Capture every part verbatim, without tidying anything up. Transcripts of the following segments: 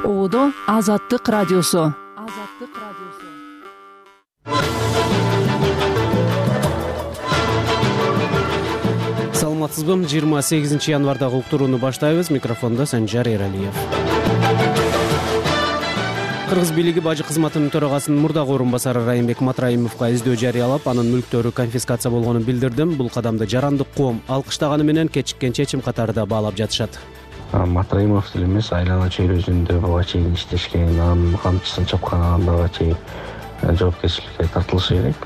Оодо Азаттык радиосу. Азаттык радиосу. Саламатсызбы? жыйырма сегизинчи январдагы уктурууну баштайбыз. Микрофондо Санжар Эралиев. Кыргыз бийлиги бажы кызматынын төрагасынын мурдагы орун басары Райымбек Матраимовго издөө жарыялап, анын мүлктөрү конфискация болгонун билдирдим. Бул кадамды жарандык коом алкыштаганы менен кечиккен чечим катары баалап жатышат. Матраимов деле эмес, айлана чөйрөсүндө буга чейин иштешкен, анын камчысын чапкан адамдарга чейин жоопкерчиликке тартылышы керек.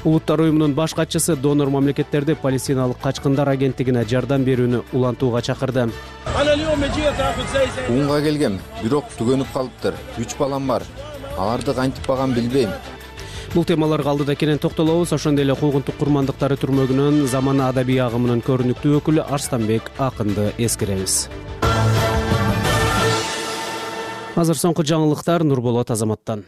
Улуттар уюмунун баш катчысы донор мамлекеттерди Палестиналык качкындар агенттигине жардам берүүнү улантууга чакырды. Унга келгем, бирок түгөнүп калыптыр. Үч балам бар. Аларды кантип багам билбейм. Бул темаларга алдыда кенен токтолобуз. Ошондой эле куугунтук курмандыктары түрмөгүнүн замана адабий агымынын көрүнүктүү өкүлү Арстанбек Акынды эскеребиз. Азыр соңку жаңылыктар Нурболот Азаматтан.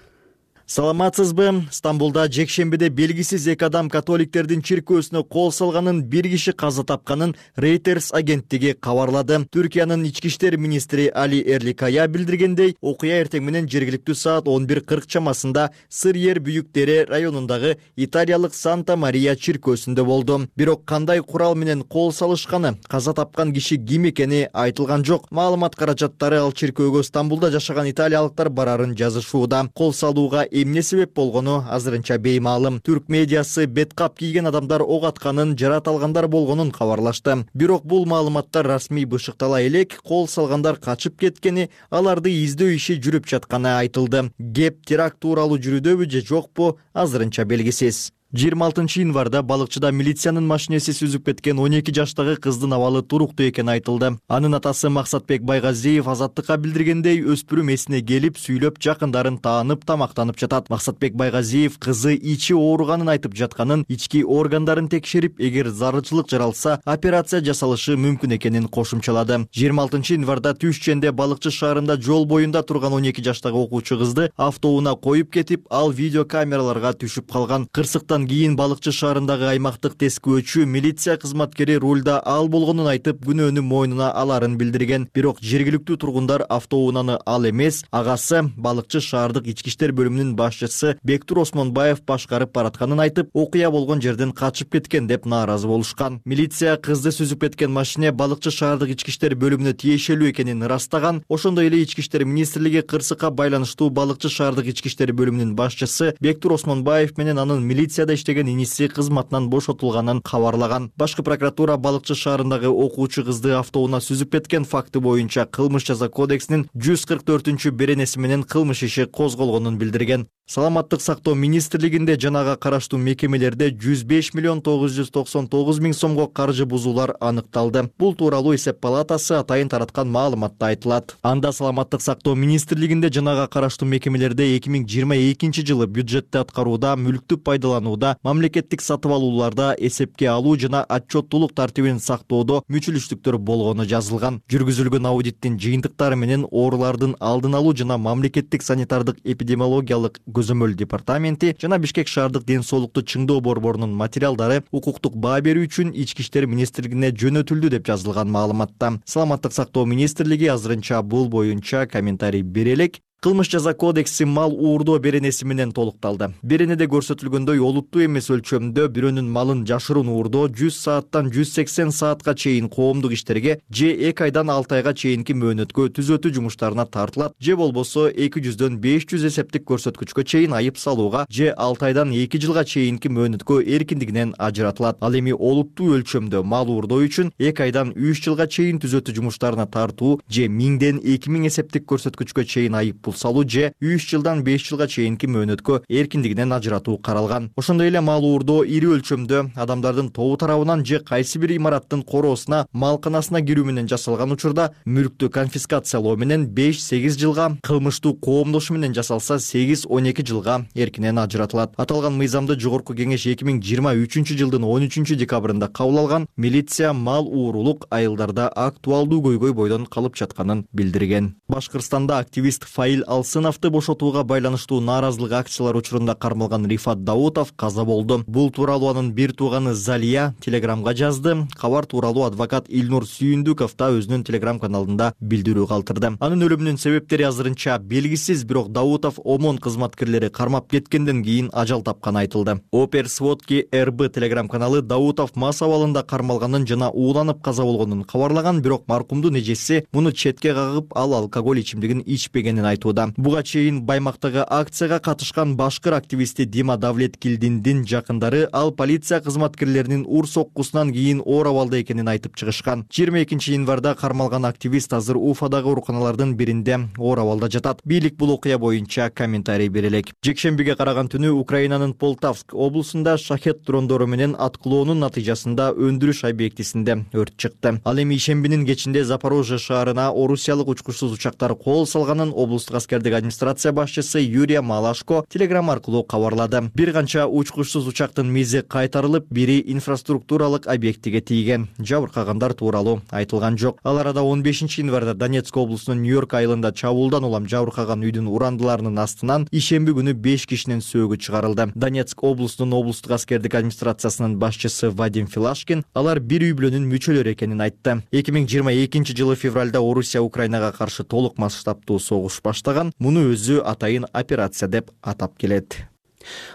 Саламатсызбы? Стамбулда жекшембиде белгисиз эки адам католиктердин чиркөөсүнө кол салганын, бир киши каза тапканын Reuters агенттиги кабарлады. Түркиянын ички иштер министри Али Эрликая билдиргендей, окуя эртең менен жергиликтүү саат он бир кырк чамасында Сыр-Ер Büyük Dere районундагы италиялык Санта Мария чиркөөсүндө болду. Бирок кандай курал менен кол салышканы, каза тапкан киши ким экени айтылган жок. Маалымат каражаттары ал чиркөөгө Стамбулда жашаган италиялыктар барарын жазышууда. Кол салууга эмне себеп болгону азырынча беймаалым. Түрк медиасы беткап кийген адамдар ок атканын, жарат алгандар болгонун кабарлашты. Бирок бул маалыматтар расмий бышыктала элек, кол салгандар качып кеткени, аларды издөө иши жүрүп жатканы айтылды. Кеп теракт тууралуу жүрүүдөбү же жокпу, азырынча белгисиз. жыйырма алтынчы январда балыкчыда милициянын машинеси сүзүп кеткен он эки жаштагы кыздын абалы туруктуу экени айтылды. Анын атасы Максатбек Байгазиев Азаттыкка билдиргендей, өспүрүм эсине келип, сүйлөп, жакындарын таанып, тамактанып жатат. Максатбек Байгазиев кызы ичи ооруганын айтып жатканын, ички органдарын текшерип, эгер зарылчылык жаралса, операция жасалышы мүмкүн экенин кошумчалады. жыйырма алтынчы январда Түшченде балыкчы шаарында жол боюнда турган он эки жаштагы окуучу кызды автоунаа коюп кетип, ал видеокамераларга түшүп калган. Кырсыктан кийин балыкчы шаарындагы аймактык тескөөчү милиция кызматкери рулда ал болгонун айтып, күнөөнү мойнуна аларын билдирген. Бирок жергиликтүү тургундар автоунааны ал эмес, агасы балыкчы шаардык ички иштер бөлүмүнүн башчысы Бектур Осмонбаев башкарып баратканын айтып, окуя болгон жерден качып кеткен деп нааразы болушкан. Милиция кызды сүзүп кеткен машине балыкчы шаардык ички иштер бөлүмүнө тиешелүү экенин ырастаган. Ошондой эле ички иштер министрлиги кырсыкка байланыштуу балыкчы шаардык ички иштер бөлүмүнүн башчысы Бектур Осмонбаев менен анын милиция иштеген иниси кызматынан бошотулганын кабарлаган. Башкы прокуратура балыкчы шаарындагы окуучу кызды автоунаа сүзүп кеткен факты боюнча кылмыш жаза кодексинин жүз кырк төртүнчү беренеси менен кылмыш иши козголгонун билдирген. Саламаттык сактоо министрлигинде жанага караштуу мекемелерде жүз беш миллион тогуз жүз токсон тогуз миң сомго каржы бузуулар аныкталды. Бул тууралуу эсеп палатасы атайын тараткан маалыматта айтылат. Анда Саламаттык сактоо министрлигинде жанага караштуу мекемелерде эки миң жыйырма экинчи жылы бюджетти аткарууда, мүлктү пайдаланууда, мамлекеттик сатып алууларда эсепке алуу жана отчеттуулук тартибин сактоодо мүчүлүштүктөр болгону жазылган. Жүргүзүлгөн аудиттин жыйынтыктары менен оорулардын алдын алуу жана мамлекеттик санитардык эпидемиологиялык көзөмөл департаменти жана Бишкек шаардык ден соолукту чыңдоо борборунун материалдары укуктук баа берүү үчүн ички иштер министрлигине жөнөтүлдү деп жазылган маалыматта. Саламаттык сактоо министрлиги азырынча бул боюнча комментарий бере элек. Кылмыш жаза кодекси мал уурдоо беренеси менен толукталды. Беренеде көрсөтүлгөндөй, олуттуу эмес өлчөмдө бирөөнүн малын жашыруун уурдоо жүз сааттан жүз сексен саатка чейин коомдук иштерге же эки айдан алты айга чейинки мөөнөткө түзөтүү жумуштарына тартылат, же болбосо эки жүздөн беш жүз эсептик көрсөткүчкө чейин айып салууга, же алты айдан эки жылга чейинки мөөнөткө эркиндигинен ажыратылат. Ал эми олуттуу өлчөмдө мал уурдоо үчүн эки айдан үч жылга чейин түзөтүү жумуштарына тартуу, же миңден эки миң эсептик көрсөткүчкө чейин айып салуу, же үч жылдан беш жылга чейинки мөөнөткө эркиндигинен ажыратуу каралган. Ошондой эле мал уурдоо ири өлчөмдө адамдардын тобу тарабынан же кайсы бир имараттын короосуна, малканасына кирүү менен жасалган учурда мүлктү конфискациялоо менен беш сегиз жылга, кылмыштуу коомдошу менен жасалса сегиз он эки жылга эркинен ажыратылат. Аталган мыйзамды Жогорку Кеңеш эки миң жыйырма үчүнчү жылдын он үчүнчү декабрында кабыл алган. Милиция мал уурулук айылдарда актуалдуу көйгөй бойдон калып жатканын билдирген. Башкырстанда активист Фаил Адил Алсыновду бошотууга байланыштуу нааразылык акциялар учурунда кармалган Рифат Даутов каза болду. Бул тууралуу анын бир тууганы Залия телеграмга жазды. Кабар тууралуу адвокат Илнур Сүйүндүков да өзүнүн телеграм каналында билдирүү калтырды. Анын өлүмүнүн себептери азырынча белгисиз, бирок Даутов ОМОН кызматкерлери кармап кеткенден кийин ажал тапканы айтылды. Опер Сводки эр бэ телеграм каналы Даутов мас абалында кармалганын жана ууланып каза болгонун кабарлаган, бирок маркумдун эжеси муну четке кагып, ал алкоголь ичимдигин ичпегенин айтууда. Буга чейин Баймактагы акцияга катышкан башкыр активисти Дима Давлеткилдиндин жакындары ал полиция кызматкерлеринин ур соккусунан кийин оор абалда экенин айтып чыгышкан. жыйырма экинчи январда кармалган активист азыр Уфадагы ооруканалардын биринде оор абалда жатат. Бийлик бул окуя боюнча комментарий бере элек. Жекшембиге караган түнү Украинанын Полтавск облусунда шахет дрондору менен аткылоонун натыйжасында өндүрүш объектисинде өрт чыкты. Ал эми ишембинин кечинде Запорожье шаарына орусиялык учкучсуз учактар кол салганын облустук аскердик администрация башчысы Юрия Малашко телеграм аркылуу кабарлады. Бир канча учкучсуз учактын мизи кайтарылып, бири инфраструктуралык объектиге тийген. Жабыркагандар тууралуу айтылган жок. Ал арада он бешинчи январда Донецк облусунун Нью-Йорк айылында чабуулдан улам жабыркаган үйдүн урандыларынын астынан ишемби күнү беш кишинин сөөгү чыгарылды. Донецк облусунун облустук аскердик администрациясынын башчысы Вадим Филашкин алар бир үй бүлөнүн мүчөлөрү экенин айтты. эки миң жыйырма экинчи жылы февралда Орусия Украинага каршы толук масштабтуу согуш баштаган. Муну өзү атайын операция деп атап келет.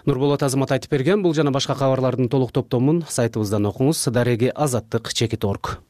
Нурболот Азамат айтып берген. Бул жана башка кабарлардын толук топтомун сайтыбыздан окуңуз. Дареги азаттык чекит орг.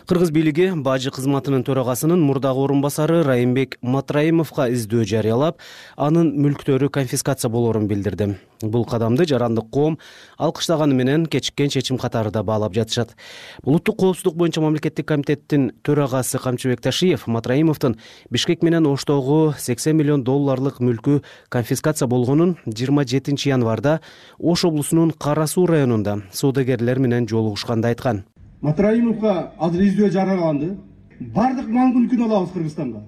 Кыргыз бийлиги бажы кызматынын төрагасынын мурдагы орун басары Райымбек Матраимовго издөө жарыялап, анын мүлктөрү конфискация болоорун билдирди. Бул кадамды жарандык коом алкыштаганы менен кечиккен чечим катары да баалап жатышат. Улуттук коопсуздук боюнча мамлекеттик комитеттин төрагасы Камчыбек Ташиев Матраимовдун Бишкек менен Оштогу сексен миллион долларлык мүлкү конфискация болгонун жыйырма жетинчи январда Ош облусунун Кара Суу районунда соодагерлер менен жолугушканда айткан. Матраимовго азыр издөө жарыяланды. Бардык мал мүлкүн алабыз Кыргызстанга.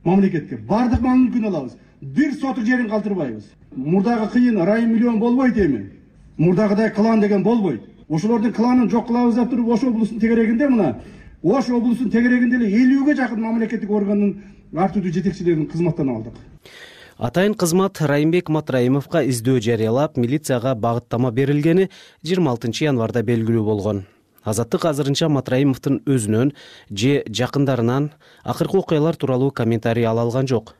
Мамлекетке бардык мал мүлкүн алабыз. Бир сотук жерин калтырбайбыз. Мурдагы кыйын райым миллион болбойт эми. Мурдагыдай клан деген болбойт. Ошолордун кланын жок кылабыз деп туруп Ош облусунун тегерегинде мына Ош облусунун тегерегинде эле элүүгө жакын мамлекеттик органдын артүдүү жетекчилерин кызматтан алдык. Атайын кызмат Райымбек Матраимовго издөө жарыялап, милицияга багыттама берилгени жыйырма алтынчы январда белгилүү болгон. Азаттык азырынча Матраимовдун өзүнөн же жакындарынан акыркы окуялар тууралуу комментарий ала алган жок.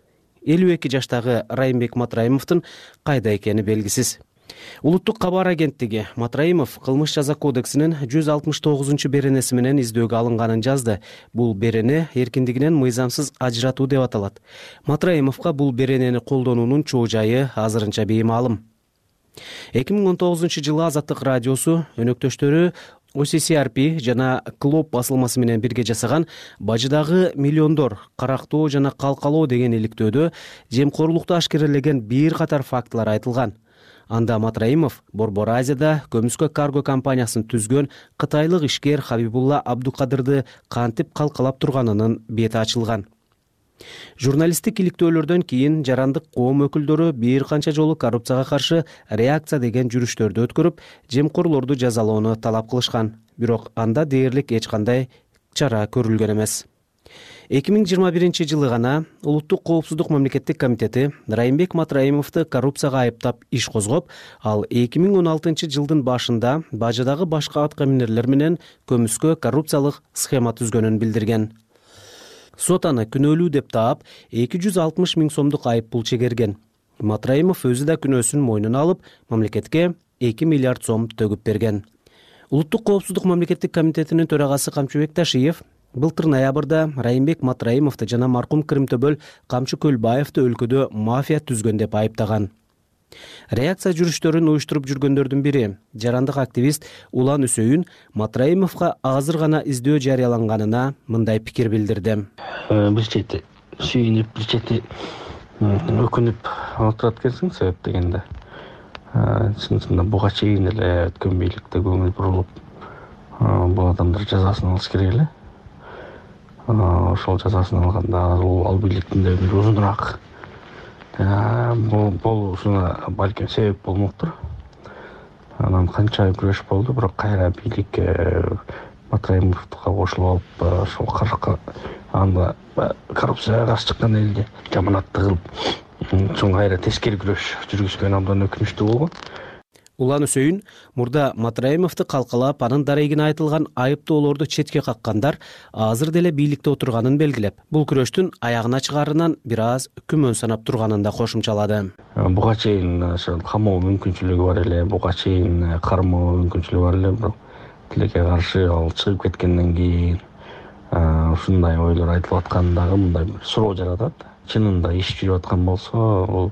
элүү эки жаштагы Райымбек Матраимовдун кайда экени белгисиз. Улуттук кабар агенттиги Матраимов кылмыш жаза кодексинин жүз алтымыш тогузунчу беренеси менен издөөгө алынганын жазды. Бул берене эркиндигинен мыйзамсыз ажыратуу деп аталат. Матраимовго бул беренени колдонуунун чоо жайы азырынча беймаалым. эки миң он тогузунчу жылы Азаттык радиосу өнөктөштөрү о си си ар пи жана Клоп басылмасы менен бирге жасаган бажыдагы миллиондор карактоо жана калкалоо деген иликтөөдө жемкорлукту ашкерелеген бир катар фактылар айтылган. Анда Матраимов Борбор Азияда көмүскө карго компаниясын түзгөн кытайлык ишкер Хабибулла Абдукадырды кантип калкалап турганынын бети ачылган. Журналисттик иликтөөлөрдөн кийин жарандык коом өкүлдөрү бир канча жолу коррупцияга каршы реакция деген жүрүштөрдү өткөрүп, жемкорлорду жазалоону талап кылышкан. Бирок анда дээрлик эч кандай чара көрүлгөн эмес. эки миң жыйырма биринчи жылы гана Улуттук коопсуздук мамлекеттик комитети Райымбек Матраимовду коррупцияга айыптап иш козгоп, ал эки миң он алтынчы жылдын башында бажыдагы башка аткаминерлер менен көмүскө коррупциялык схема түзгөнүн билдирген. Сот аны күнөөлүү деп таап, эки жүз алтымыш миң сомдук айып пул чегерген. Матраимов өзү да күнөөсүн мойнуна алып, мамлекетке эки миллиард сом төгүп берген. Улуттук коопсуздук мамлекеттик комитетинин төрагасы Камчыбек Ташиев былтыр ноябрда Райымбек Матраимовду жана маркум Кырымтөбөл Камчы Көлбаевди өлкөдө мафия түзгөн деп айыптаган. Реакция жүрүштөрүн уюштуруп жүргөндөрдүн бири, жарандык активист Улан Үсөйүн Матраимовго азыр гана издөө жарыяланганына мындай пикир билдирди. Бир чети сүйүнүп, бир чети өкүнүп отурат экенсиң себеп дегенде. Чынында буга чейин эле өткөн бийликте көңүл бурулуп, бул адамдар жазасын алыш керек эле. Ошол жазасын алганда ал бийликтин да өмүрү узунураак болушуна балким себеп болмоктур. Анан канча күрөш болду, бирок кайра бийлик Матраимовго кошулуп алып, ошол анда коррупцияга каршы чыккан элди жаманатты кылып, чоң кайра тескери күрөш жүргүзгөн абдан өкүнүчтүү болгон. Улан Үсөйүн мурда Матраимовду калкалап, анын дарегине айтылган айыптоолорду четке каккандар азыр деле бийликте отурганын белгилеп, бул күрөштүн аягына чыгаарынан бир аз күмөн санап турганын да кошумчалады. Буга чейин камоо мүмкүнчүлүгү бар эле, буга чейин кармоо мүмкүнчүлүгү бар эле, бирок тилекке каршы ал чыгып кеткенден кийин ушундай ойлор айтылып аткандагы мындай бир суроо жаратат. Чынында иш жүрүп аткан болсо, бул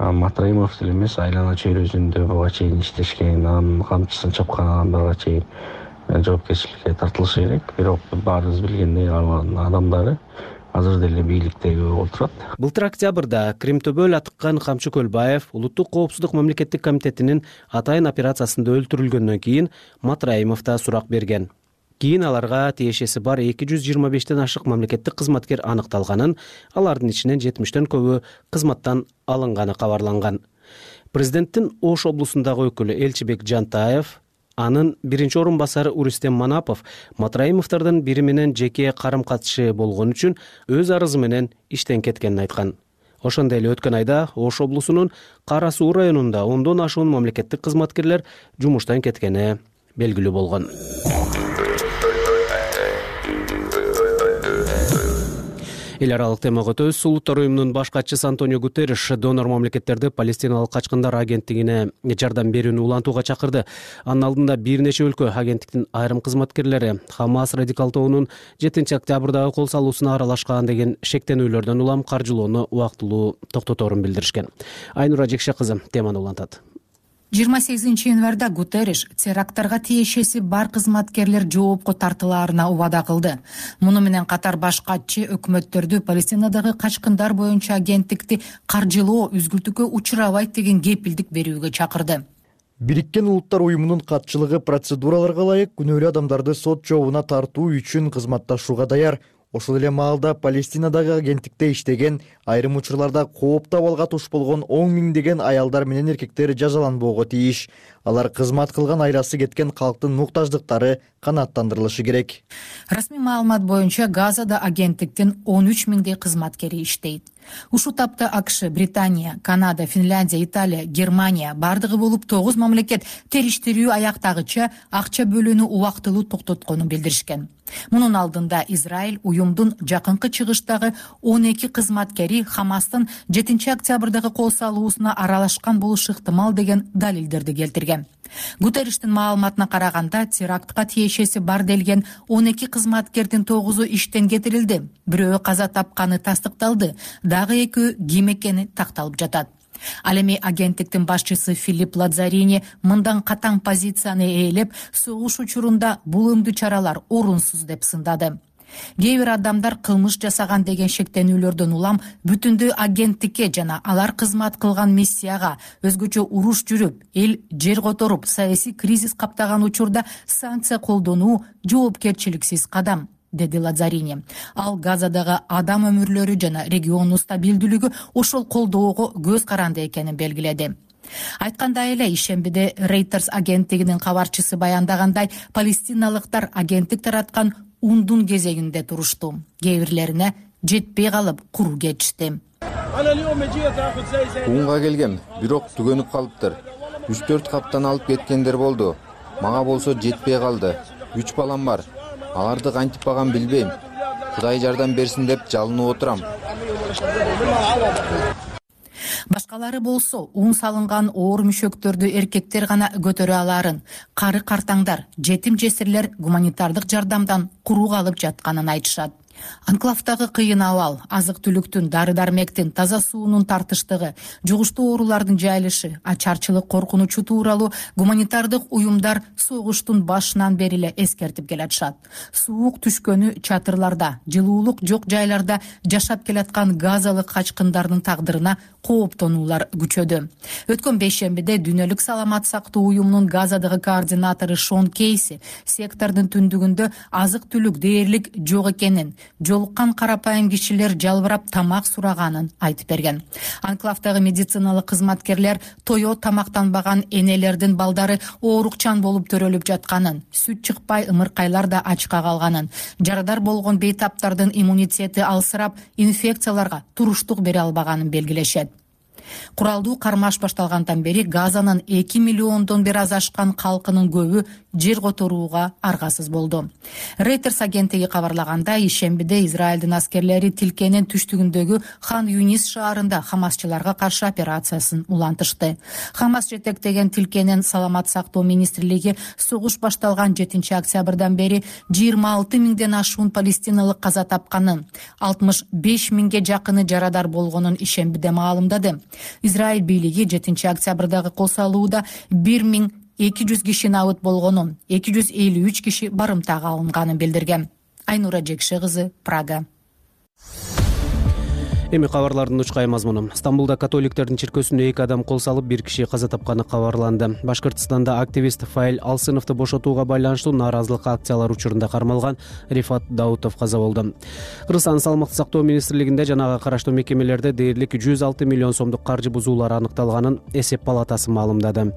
Матраимов деле эмес, айлана чөйрөсүндө буга чейин иштешкен, анын камчысын чапкан адамдарга чейин жоопкерчиликке тартылышы керек. Бирок баарыбыз билгендей, алардын адамдары азыр деле бийликтеги отурат. Былтыр октябрда Кримтөбөл Атыккан Камчы Көлбаев Улуттук коопсуздук мамлекеттик комитетинин атайын операциясында өлтүрүлгөндөн кийин Матраимов да сурак берген. Кийин аларга тиешеси бар эки жүз жыйырма бештен ашык мамлекеттик кызматкер аныкталганын, алардын ичинен жетимиштен көбү кызматтан алынганы кабарланган. Президенттин Ош облусундагы өкүлү Элчибек Жантаев, анын биринчи орун басары Урустем Манапов Матраимовдордун бири менен жеке карым-катышы болгон үчүн өз арызы менен иштен кеткенин айткан. Ошондой эле өткөн айда Ош облусунун Кара Суу районунда ондон ашуун мамлекеттик кызматкерлер жумуштан кеткени белгилүү болгон. Эл аралык темага өтөбүз. Улуттар уюмунун баш катчысы Антонио Гутерриш донор мамлекеттерди Палестиналык качкындар агенттигине жардам берүүнү улантууга чакырды. Анын алдында бир нече өлкө агенттиктин айрым кызматкерлери Хамас радикал тобунун жетинчи октябрдагы кол салуусуна аралашкан деген шектенүүлөрдөн улам каржылоону убактылуу токтоторун билдиришкен. Айнура Жекше кызы теманы улантат. жыйырма сегизинчи январда Гутерриш теракттарга тиешеси бар кызматкерлер жоопко тартылаарына убада кылды. Муну менен катар баш катчы өкмөттөрдү Палестинадагы качкындар боюнча агенттикти каржылоо үзгүлтүккө учурабайт деген кепилдик берүүгө чакырды. Бириккен Улуттар уюмунун катчылыгы процедураларга ылайык күнөөлүү адамдарды сот жообуна тартуу үчүн кызматташууга даяр. Ошол эле маалда Палестинадагы агенттикте иштеген, айрым учурларда кооптуу абалга туш болгон он миңдеген аялдар менен эркектер жазаланбоого тийиш. Алар кызмат кылган айласы кеткен калктын муктаждыктары канааттандырылышы керек. Расмий маалымат боюнча Газада агенттиктин он үч миңдей кызматкери иштейт. Ушул тапта АКШ, Британия, Канада, Финляндия, Италия, Германия бардыгы болуп тогуз мамлекет териштирүү аяктагыча акча бөлүүнү убактылуу токтотконун билдиришкен. Мунун алдында Израиль уюмдун жакынкы чыгыштагы он эки кызматкери Хамастын жетинчи октябрдагы кол салуусуна аралашкан болушу ыктымал деген далилдерди келтирген. Гутерриштин маалыматына караганда, терактка тиешеси бар делген он эки кызматкердин тогузу иштен кетирилди. Бирөө каза тапканы тастыкталды, дагы экөө ким экени такталып жатат. Ал эми агенттиктин башчысы Филипп Лазарини мындан катаң позицияны ээлеп, согуш учурунда бул өңдүү чаралар орунсуз деп сындады. Кээ бир адамдар кылмыш жасаган деген шектенүүлөрдөн улам бүтүндөй агенттикке жана алар кызмат кылган миссияга өзгөчө уруш жүрүп, эл жер которуп, саясий кризис каптаган учурда санкция колдонуу жоопкерчиликсиз кадам, деди Лазарини. Ал Газадагы адам өмүрлөрү жана региондун стабилдүүлүгү ошол колдоого көз каранды экенин белгиледи. Айткандай эле, ишембиде Reuters агенттигинин кабарчысы баяндагандай, палестиналыктар агенттик тараткан ундун кезегинде турушту. Кээ бирлерине жетпей калып куру кетишти. Унга келгем, бирок түгөнүп калыптыр. үч төрт каптан алып кеткендер болду. Мага болсо жетпей калды. үч балам бар. Аларды кантип багам билбейм. Кудай жардам берсин деп жалынып отурам. Башкалары болсо ун салынган оор мүшөктөрдү эркектер гана көтөрө аларын, кары картаңдар, жетим жесирлер гуманитардык жардамдан куру калып жатканын айтышат. Анклавдагы кыйын абал, азык-түлүктүн, дары-дармектин, таза суунун тартыштыгы, жугуштуу оорулардын жайылышы, ачарчылык коркунучу тууралуу гуманитардык уюмдар согуштун башынан бери эле эскертип келатышат. Суук түшкөнү чатырларда, жылуулук жок жайларда жашап келаткан газалык качкындардын тагдырына кооптонуулар күчөдү. Өткөн бейшембиде Дүйнөлүк саламат сактоо уюмунун Газадагы координатору Шон Кейси сектордун түндүгүндө азык-түлүк дээрлик жок экенин, жолуккан карапайым кишилер жалбырап тамак сураганын айтып берген. Анклавдагы медициналык кызматкерлер тое тамактанбаган энелердин балдары оорукчан болуп төрөлүп жатканын, сүт чыкпай ымыркайлар да ачка калганын, жарадар болгон бейтаптардын иммунитети алсырап, инфекцияларга туруштук бере албаганын белгилешет. Куралдуу кармаш башталгандан бери Газанын эки миллиондон бир аз ашкан калкынын көбү жер которууга аргасыз болду. Reuters агенттиги кабарлагандай, ишембиде Израилдин аскерлери тилкенин түштүгүндөгү Хан Юнис шаарында хамасчыларга каршы операциясын улантышты. Хамас жетектеген тилкенин саламат сактоо министрлиги согуш башталган жетинчи октябрдан бери жыйырма алты миңден ашуун палестиналык каза тапканын, алтымыш беш миңге жакыны жарадар болгонун ишембиде маалымдады. Израиль бийлиги жетинчи октябрдагы кол салууда бир миң эки жүз киши набыт болгонун, эки жүз элүү үч киши барымтага алынганын билдирген. Айнура Жекше кызы, Прага. Эми кабарлардын учкай мазмуну. Стамбулда католиктердин чиркөөсүнө эки адам кол салып, бир киши каза тапканы кабарланды. Башкыртстанда активист Фаил Алсыновду бошотууга байланыштуу нааразылык акциялар учурунда кармалган Рифат Даутов каза болду. Кыргызстандын саламаттык сактоо министрлигинде жанага караштуу мекемелерде дээрлик жүз алты миллион сомдук каржы бузуулар аныкталганын эсеп палатасы маалымдады.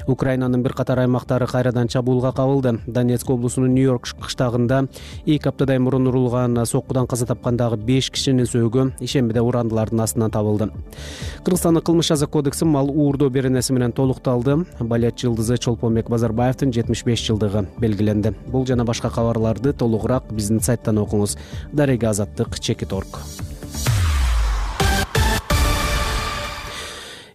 Украинанын бир катар аймактары кайрадан чабуулга кабылды. Донецк облусунун Нью-Йорк кыштагында эки аптадай мурун урулган соккудан каза тапкандагы беш кишинин сөөгү ишембиде урандылардын астынан табылды. Кыргызстандын кылмыш жаза кодекси мал уурдоо беренеси менен толукталды. Балет жылдызы Чолпонбек Базарбаевдин жетимиш беш жылдыгы белгиленди. Бул жана башка кабарларды толугураак биздин сайттан окуңуз. Дарега Азаттык, Чекит точка орг.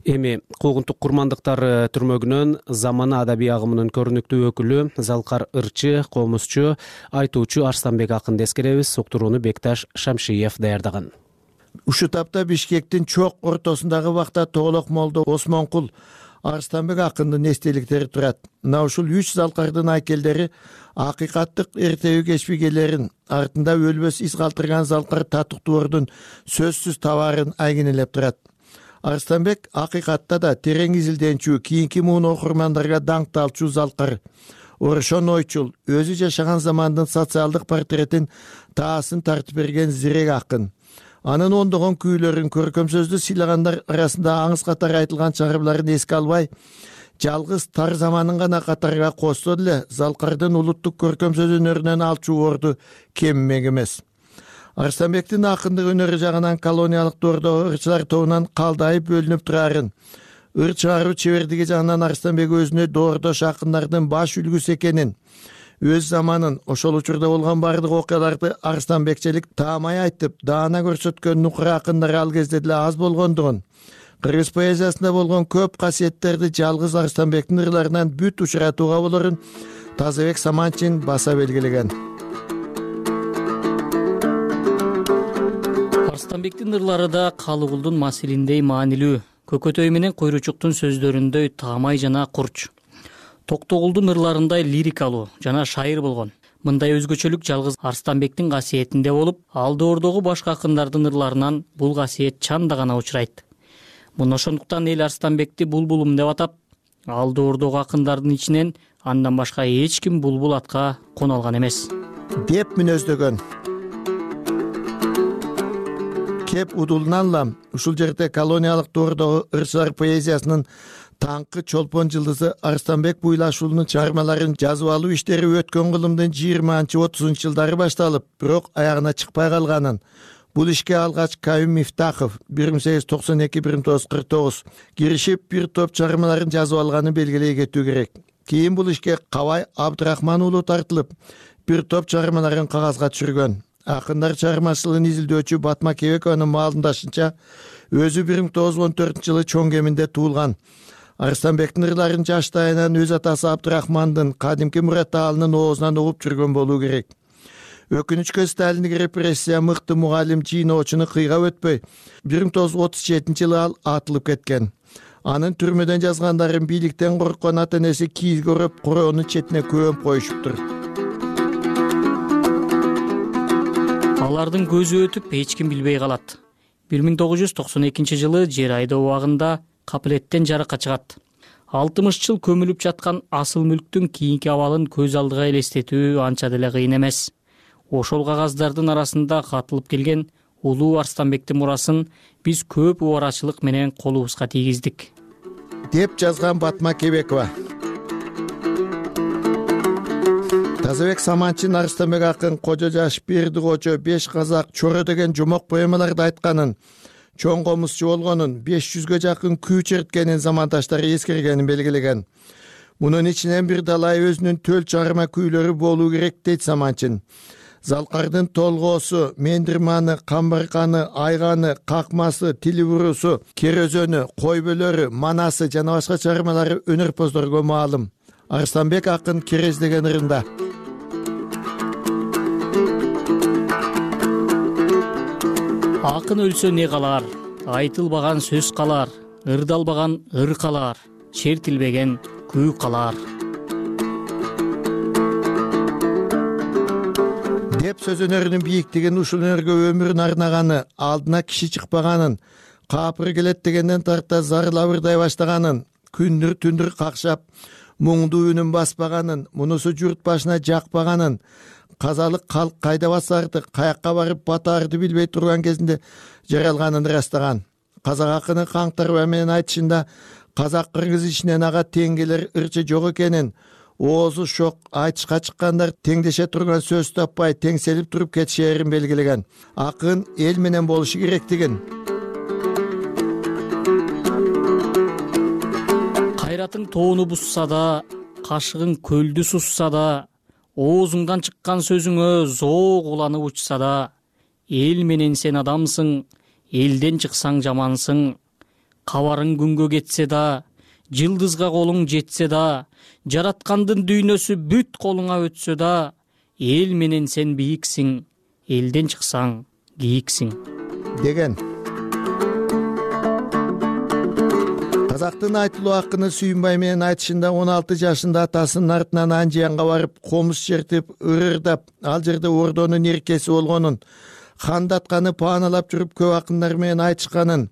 Эми куугунтук курмандыктар түрмөгүнөн замана адабий агымынын көрүнүктүү өкүлү, залкар ырчы, комузчу, айтуучу Арстанбек акынды эскеребиз. Уктурууну Бекташ Шамшиев даярдаган. Ушул тапта Бишкектин чок ортосундагы бакта Тоголок молдо Осмонкул Арстанбек акындын эстеликтери турат. Мына ушул үч залкардын айкелдери акыйкаттык эртеби кечпигелерин, артында өлбөс из калтырган залкар Татыктуордун сөзсүз табаарын айгинелеп турат. Арстанбек акыйкатта да терең изилденчү, кийинки муун окурмандарга даңкталчу залкар. Орошон ойчул, өзү жашаган замандын социалдык портретин таасын тартып берген зирек акын. Анын ондогон күүлөрүн, көркөм сөздү сыйлагандар арасында аңыз катары айтылган чыгармаларын эске албай, жалгыз тар заманын гана катарга кошсо деле залкардын улуттук көркөм сөз өнөрүнөн алчу орду кеммек эмес. Арстанбектин акындык өнөрү жагынан колониялык доордогу ырчылар тобунан калдайып бөлүнүп турарын, ыр чыгаруу чебердиги жагынан Арстанбек өзүнө доордош акындардын баш үлгүсү экенин, өз заманын, ошол учурда болгон бардык окуяларды арстанбекчелик таамай айтып, даана көрсөткөн нукура акындар ал кезде деле аз болгондугун, кыргыз поэзиясында болгон көп касиеттерди жалгыз Арстанбектин ырларынан бүт учуратууга болорун Тазабек Саманчин баса белгилеген. Арстанбектин ырлары да Калыгулдун Масилиндей маанилүү, Көкөтөй менен Койручуктун сөздөрүндөй таамай жана курч. Токтогулдун ырларындай лирикалуу жана шайыр болгон. Мындай өзгөчөлүк жалгыз Арстанбектин касиетинде болуп, ал доордогу башка акындардын ырларынан бул касиет чанда гана учурайт. Муну ошондуктан эл Арстанбекти булбулум деп атап, ал доордогу акындардын ичинен андан башка эч ким булбул атка кона алган эмес деп мүнөздөгөн. Кеп удулнанлам, ушул жерде колониялык доордогу ырчылар поэзиясынын таңкы Чолпон жылдызы Арстанбек Буйлашуулунун чыгармаларын жазып алуу иштери өткөн кылымдын жыйырманчы отузунчу жылдары башталып, бирок аягына чыкпай калганын, бул ишке алгач Каюм Мифтахов бир миң сегиз жүз токсон эки — бир миң тогуз жүз кырк тогуз киришип бир топ чыгармаларын жазып алганын белгилей кетүү керек. Кийин бул ишке Кабай Абдрахман уулу тартылып, бир топ чыгармаларын кагазга түшүргөн. Акындар чыгармачылыгын изилдөөчү Батма Кебекованын маалымдашынча, өзү бир миң тогуз жүз он төртүнчү жылы Чоң Кеминде туулган. Арстанбектин ырларын жаштайынан өз атасы Абдрахмандын кадимки Мурат Аалынын оозунан угуп жүргөн болуу керек. Өкүнүчкө Сталиндик репрессия мыкты мугалим жийноочуну кыйга өтпөй, бир миң тогуз жүз отуз жетинчи жылы ал атылып кеткен. Анын түрмөдөн жазгандарын бийликтен корккон ата энеси кийизге ороп, короонун четине көмүп коюшуптур. Алардын көзү өтүп эч ким билбей калат. бир миң тогуз жүз токсон экинчи жылы жер айдоо убагында капылеттен жарыкка чыгат. алтымыш жыл көмүлүп жаткан асыл мүлктүн кийинки абалын көз алдыга элестетүү анча деле кыйын эмес. ошол кагаздардын арасында катылып келген улуу Арстанбектин мурасын биз көп убарачылык менен колубузга тийгиздик, деп жазган Батма Кебекова. Тазабек Саманчин Арстанбек акын Кожо жаш, Берди Кожо, Беш казак, Чоро деген жомок поэмаларда айтканын, чоң комузчу болгонун, беш жүзгө жакын күү черткенин замандаштары эскергенин белгилеген. Мунун ичинен бир далай өзүнүн төл чарма күйлөрү болуу керек дейт Саманчин. Залкардын толгоосу, Мендирманы, Камбарканы, Айганы, Какмасы, Тилибурусу, Керөзөнү, Койбөлөрү, Манасы жана башка чармалары өнөрпоздорго маалым. Арстанбек акын Керез деген ырында. Акын өлсө не калар, айтылбаган сөз калар, ырдалбаган ыр калар, чертилбеген күү калар. Деп сөз өнөрүнүн бийиктигин ушул өнөргө өмүрүн арнаганы, алдына киши чыкпаганын, капыр келет дегенден тарта зарылап ырдай баштаганын, күндүр түндүр какшап, муңдуу үнүн баспаганын, мунусу журт башына жакпаганын, казалык калк кайда басарды, каякка барып батаарды билбей турган кезинде жаралганын ырастаган. Казак акыны Каңтарбай менен айтышында казак кыргыз ичинен ага тең келер ырчы жок экенин, оозу шок айтышка чыккандар теңдеше турган сөз таппай теңселип туруп кетишерин белгилеген. Акын эл менен болушу керектигин, кайратың тоону бузса да, кашыгың көлдү сусса да, оозуңдан чыккан сөзүңө зоо уланып учса да, эл менен сен адамсың, элден чыксаң жамансың. Кабарың күнгө кетсе да, жылдызга колуң жетсе да, жараткандын дүйнөсү бүт колуңа өтсө да, эл менен сен бийиксиң, элден чыксаң кийиксиң деген. Казактын айтылуу акыны Сүйүнбай менен айтышында он алты жашында атасынын артынан Анжиянга барып, комуз чертип, ырырдап, ал жерде ордонун эркеси болгонун, хандатканы пааналап жүрүп көп акындар менен айтышканын,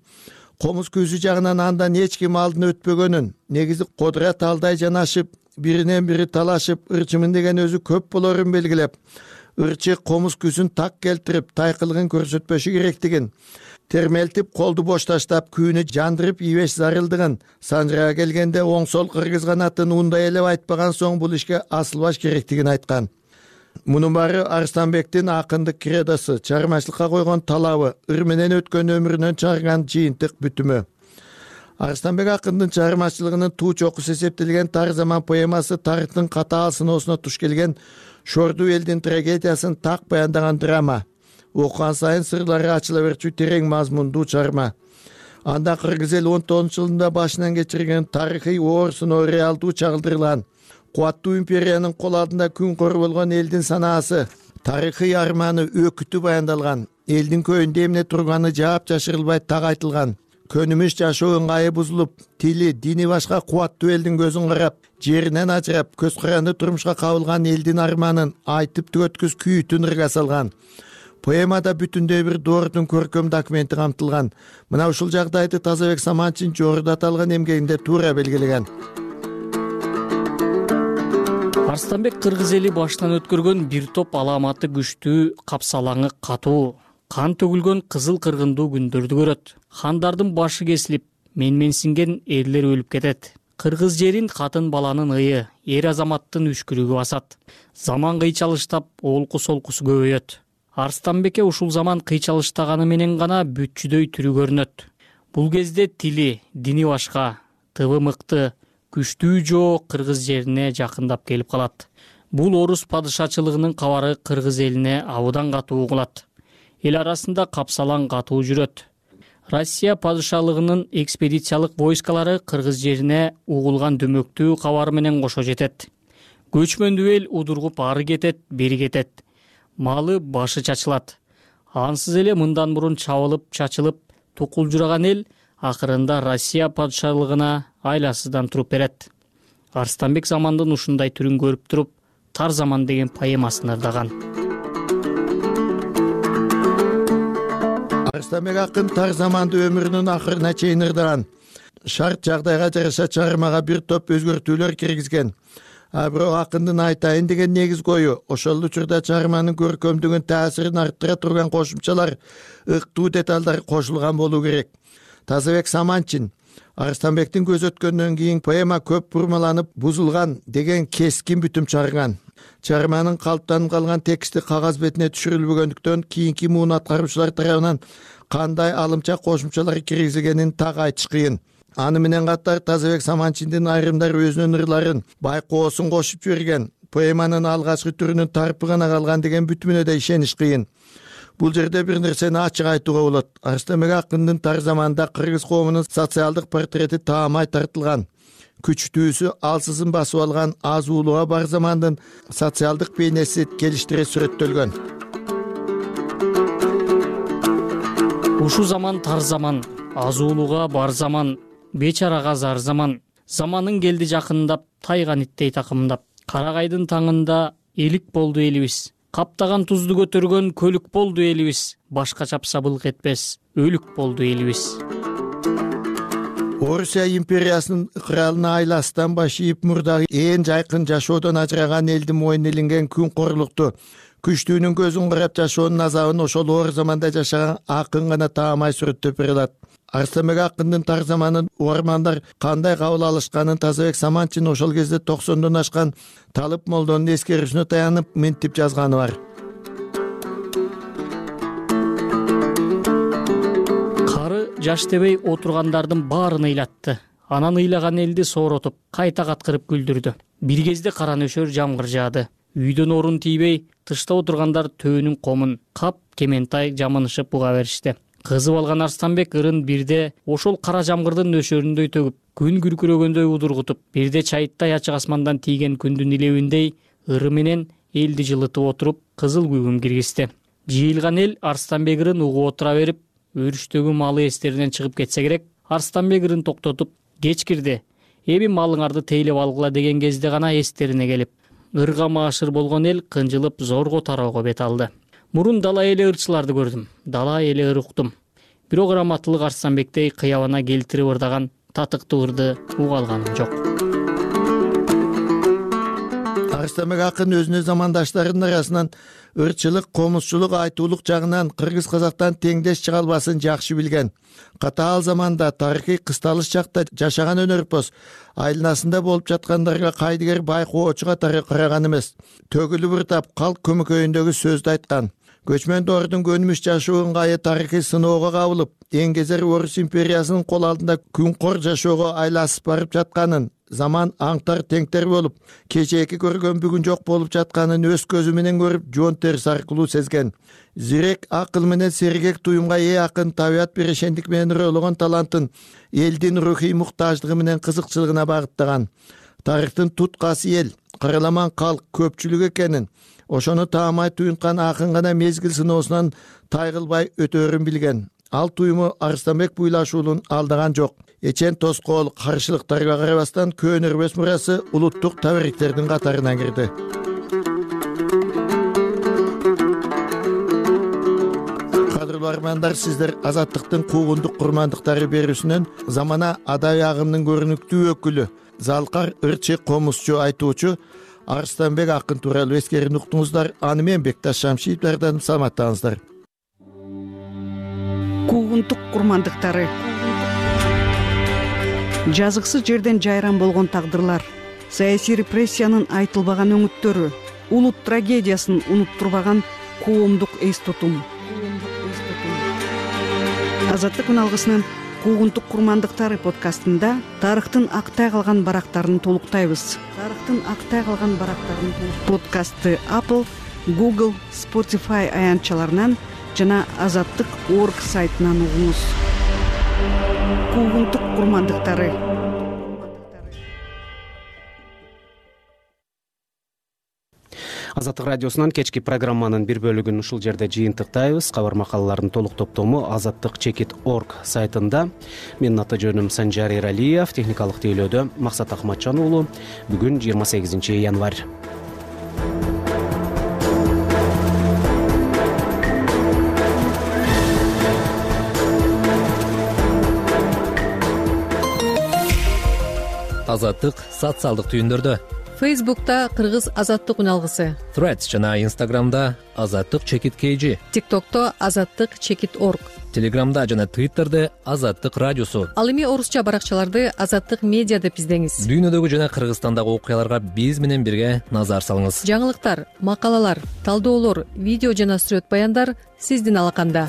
комуз көзү жагынан андан эч ким алдын өтпөгөнүн, негизи кодура талдай жанашып, биринен бири талашып, ырчымын деген өзү көп болорун белгилеп, ырчы комуз күзүн так келтирип, тайкылыгын көрсөтпөшү керектигин, термелтип, колду бош таштап, күүнү жандырып ийбеш зарылдыгын, санжырага келгенде оң-сол кыргыз канатын ундай элеп айтпаган соң бул ишке асылбаш керектигин айткан. Мунун баары Арстанбектин акындык кредосу, чармачылыкка койгон талабы, ыр менен өткөн өмүрүнөн чыгарган жыйынтык бүтүмү. Арстанбек акындын чыгармачылыгынын туу чокусу эсептелген Тар заман поэмасы тарыхтын катаал сыноосуна туш келген шордуу элдин трагедиясын так баяндаган драма. Окуган сайын сырлары ачыла берчү терең мазмундуу чарма. Анда кыргыз эл он тогузунчу жылында башынан кечирген тарыхый оор сыноо реалдуу чагылдырылган. Кубаттуу империянын кол алдында күн кор болгон элдин санаасы, тарыхый арманы, өкүтү баяндалган. Элдин көйүндө эмне турганы жаап жашырылбай так айтылган. Көнүмүш жашоо ыңгайы бузулуп, тили, дини башка кубаттуу элдин көзүн карап, жеринен ажырап, көз каранды турмушка кабылган элдин арманын айтып түгөткүс күйүтүн ырга салган. Поэмада бүтүндөй бир доордун көркөм документи камтылган. Мына ушул жагдайды Тазабек Саманчин жогоруда аталган эмгегинде туура белгилеген. Арстанбек кыргыз эли башынан өткөргөн бир топ аламаты күчтүү, капсалаңы катуу, кан төгүлгөн кызыл кыргындуу күндөрдү көрөт. Хандардын башы кесилип, менменсинген эрлер өлүп кетет. Кыргыз жерин катын баланын ыйы, эр азаматтын үшкүрүгү басат. Заман кыйчалыштап, олку солкусу көбөйөт. Арстанбекке ушул заман кыйчалыштаганы менен гана бүтчүдөй түрү көрүнөт. Бул кезде тили, дини башка, тыбы мыкты, күчтүү жоо кыргыз жерине жакындап келип калат. Бул орус падышачылыгынын кабары кыргыз элине абыдан катуу угулат. Эл арасында капсалаң катуу жүрөт. Россия падышалыгынын экспедициялык войскалары кыргыз жерине угулган дөмөктүү кабар менен кошо жетет. Көчмөндүү эл удургуп ары кетет, бери кетет. Малы башы чачылат. Ансыз эле мындан мурун чабылып, чачылып, тукулжураган эл акырында Россия падышалыгына айласыздан туруп берет. Арстанбек замандын ушундай түрүн көрүп туруп, Тар заман деген поэмасын ырдаган. Арстанбек акын Тар заманды өмүрүнүн акырына чейин ырдаган. Шарт жагдайга жараша чыгармага бир топ өзгөртүүлөр киргизген. а бирок акындын айтайын деген негиз кою ошол учурда чыгарманын көркөмдүгүн таасирин арттыра турган кошумчалар, ыктуу деталдар кошулган болуу керек. Тазабек Саманчин Арыстанбектин көз өткөндөн кийин поэма көп бурмаланып бузулган деген кескин бүтүм чыгарган. Чыгарманын калыптанып калган тексти кагаз бетине түшүрүлбөгөндүктөн кийинки муун аткаруучулар тарабынан кандай алымча кошумчалар киргизилгенин так айтыш кыйын. Аны менен катар Тазабек Саманчиндин айрымдары өзүнүн ырларын байкоосун кошуп жиберген, поэманын алгачкы түрүнүн тарпы гана калган деген бүтүмүнө да ишениш кыйын. Бул жерде бир нерсени ачык айтууга болот. Арыстанбек акындын тар заманда кыргыз коомунун социалдык портрети таамай тартылган. Күчтүүсү алсызын басып алган аз уулуга бар замандын социалдык бейнеси келиштире сүрөттөлгөн. Ушу заман тар заман, аз уулуга бар заман, бечарага зар заман. Заманын келди жакындап, тайган иттей такымдап. Карагайдын таңында элик болду элибиз. Каптаган тузду көтөргөн көлүк болду элибиз. Башка чапса былк этпес, өлүк болду элибиз. Орусия империясынын ыкыралына айластан баш ийип мурдагы ээн жайкын жашоодон ажыраган элдин мойнуна илинген күн корлукту, күчтүүнүн көзүн карап жашоонун азабын ошол оор заманда жашаган акын гана таамай сүрөттөп бере алат. Арыстанбек акындын тар заманын угармандар кандай кабыл алышканын Тазабек Саманчин ошол кезде токсондон ашкан Талып молдонун эскерүүсүнө таянып минтип жазганы бар. Кары жаш дебей отургандардын баарын ыйлатты. Анан ыйлаган элди сооротуп, кайта каткырып күлдүрдү. Бир кезде кара нөшөр жамгыр жаады. Үйдөн орун тийбей, тышта отургандар төөнүн комун кап кементай жамынышып буга беришти. Кызып алган Арыстанбек ырын бирде ошол кара жамгырдын нөшөрүндөй төгүп, күн күркүрөгөндөй удургутуп, бирде чайыттай ачык асмандан тийген күндүн илебиндей ыры менен элди жылытып отуруп, кызыл күгүм киргизди. Жыйылган эл Арыстанбек ырын угуп отура берип, өрүштөгү малы эстеринен чыгып кетсе керек. Арыстанбек ырын токтотуп, кеч кирди, эми малыңарды тейлеп алгыла деген кезде гана эстерине келип, ырга маашыр болгон эл кынжылып зорго тароого бет алды. Мурун дала эли ырчыларды көрдүм, дала эли ыр уктум. Бирок раматтылык Арыстанбектей кыябына келтирип ырдаган татыктуу ырды уга алганым жок. Арыстанбек акын өзүнүн замандаштарынын арасынан ырчылык, комузчулук, айтуулук жагынан кыргыз казактан теңдеш чыга албасын жакшы билген. Катаал заманда тарыхый кысталыш чакта жашаган өнөрпоз айланасында болуп жаткандарга кайдыгер байкоочу катары караган эмес. Төгүлүп ыртап калк көмөкөйүндөгү сөздү айткан. Көчмөн доордун көнүмүш жашоо ыңгайы тарыхый сыноого кабылып, эң кезер Орус империясынын кол алдында күнкор жашоого айласып барып жатканын, заман аңтар теңтер болуп, кечээки көргөн бүгүн жок болуп жатканын өз көзү менен көрүп, жон терси аркылуу сезген. Зирек акыл менен сергек туюмга ээ акын табият берешендик менен ыроологон талантын элдин рухий муктаждыгы менен кызыкчылыгына багыттаган. Тарыхтын туткасы эл, караламан калк көпчүлүк экенин, ошону таамай туюнткан акын гана мезгил сыноосунан тайгылбай өтөөрүн билген. Ал туюму Арыстанбек буйлашуулун алдаган жок. Эчен тоскоол каршылыктарга карабастан көөнөрбөс мурасы улуттук табариктердин катарына кирди. Кадырлуу армандар, сиздер Азаттыктын куугундук курмандыктары берүүсүнөн замана адабий агымдын көрүнүктүү өкүлү, залкар ырчы комузчу айтуучу Арыстанбек акын тууралуу эскерин уктуңуздар. Аны мен Бекташ Шамшиев даярдадым. Саламаттаңыздар. Куугунтук курмандыктары. Жазыксыз жерден жайран болгон тагдырлар, саясий репрессиянын айтылбаган өңүттөрү, улут трагедиясын унуттурбаган коомдук эс тутум. Азаттык үналгысынын Куугунтук курмандыктары подкастында тарыхтын актай калган барактарын толуктайбыз. Тарыхтын актай калган барактарын подкастты Apple, Google, Spotify аянтчаларынан жана азаттык точка орг сайтынан угуңуз. Куугунтук курмандыктары. Азаттык радиосунан кечки программанын бир бөлүгүн ушул жерде жыйынтыктайбыз. Кабар макалалардын толук топтому азаттык точка орг сайтында. Менин аты жөнүм Санжар Эралиев, техникалык тейлөөдө Максат Акматжан уулу. Бүгүн жыйырма сегизинчи январь. Азаттык социалдык түйүндөрдө Фейсбукта Кыргыз азаттык үн алгысы, Threads жана Instagramда азаттык чекит kg, TikTokто азаттык чекит орг, Телеграмда жана Twitterде азаттык радиосу. Ал эми орусча баракчаларды азаттык медиа деп издеңиз. Дүйнөдөгү жана Кыргызстандагы окуяларга биз менен бирге назар салыңыз. Жаңылыктар, макалалар, талдоолор, видео жана сүрөт баяндар сиздин алаканда.